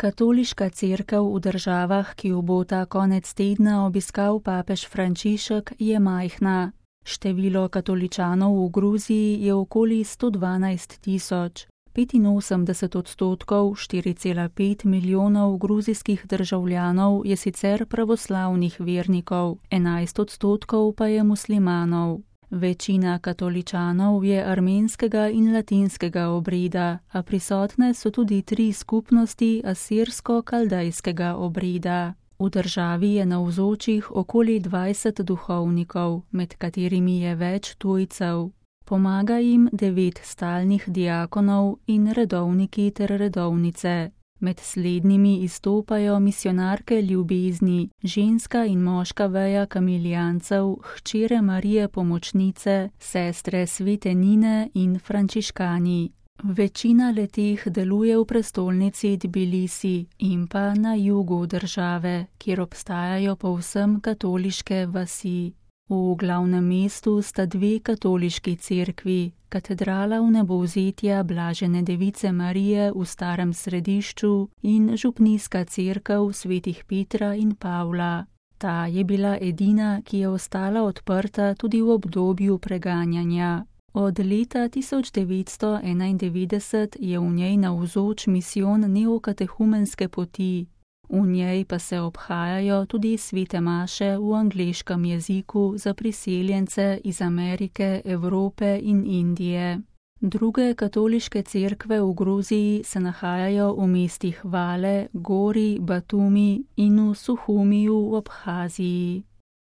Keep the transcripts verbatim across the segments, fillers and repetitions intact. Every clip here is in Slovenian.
Katoliška cerkev v državah, ki jo bo ta konec tedna obiskal papež Frančišek, je majhna. Število katoličanov v Gruziji je okoli sto dvanajst tisoč. petinosemdeset odstotkov, štiri cela pet milijonov gruzijskih državljanov je sicer pravoslavnih vernikov, enajst odstotkov pa je muslimanov. Večina katoličanov je armenskega in latinskega obreda, a prisotne so tudi tri skupnosti asirsko-kaldejskega obreda. V državi je navzočih okoli dvajset duhovnikov, med katerimi je več tujcev. Pomaga jim devet stalnih diakonov in redovniki ter redovnice. Med slednjimi izstopajo misijonarke ljubezni, ženska in moška veja kamilijancev, hčere Marije Pomočnice, sestre Svete Nine in frančiškani. Večina letih deluje v prestolnici Tbilisi in pa na jugu države, kjer obstajajo povsem katoliške vasi. V glavnem mestu sta dve katoliški cerkvi, katedrala Vnebovzetja Blažene device Marije v starem središču in župnijska cerkev svetih Petra in Pavla. Ta je bila edina, ki je ostala odprta tudi v obdobju preganjanja. Od leta tisoč devetsto enaindevetdeset je v njej navzoč misijon neokatehumenske poti. V njej pa se obhajajo tudi svete maše v angleškem jeziku za priseljence iz Amerike, Evrope in Indije. Druge katoliške cerkve v Gruziji se nahajajo v mestih Vale, Gori, Batumi in v Suhumiju v Abhaziji.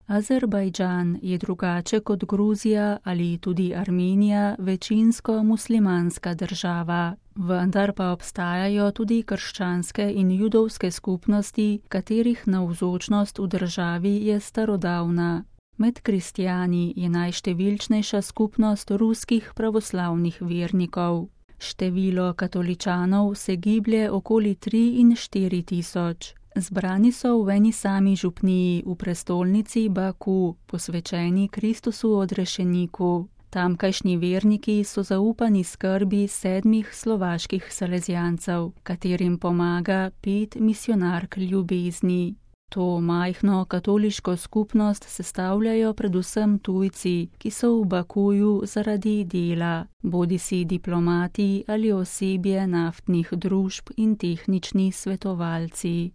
Azerbajdžan je drugače kot Gruzija ali tudi Armenija večinsko muslimanska država, vendar pa obstajajo tudi krščanske in judovske skupnosti, katerih navzočnost v državi je starodavna. Med kristjani je najštevilčnejša skupnost ruskih pravoslavnih vernikov. Število katoličanov se giblje okoli tri in štiri tisoč. Zbrani so v eni sami župniji v prestolnici Baku, posvečeni Kristusu odrešeniku. Tamkajšnji verniki so zaupani skrbi sedmih slovaških salezijancev, katerim pomaga pet misijonark ljubezni. To majhno katoliško skupnost sestavljajo predvsem tujci, ki so v Bakuju zaradi dela, bodisi diplomati ali osebje naftnih družb in tehnični svetovalci.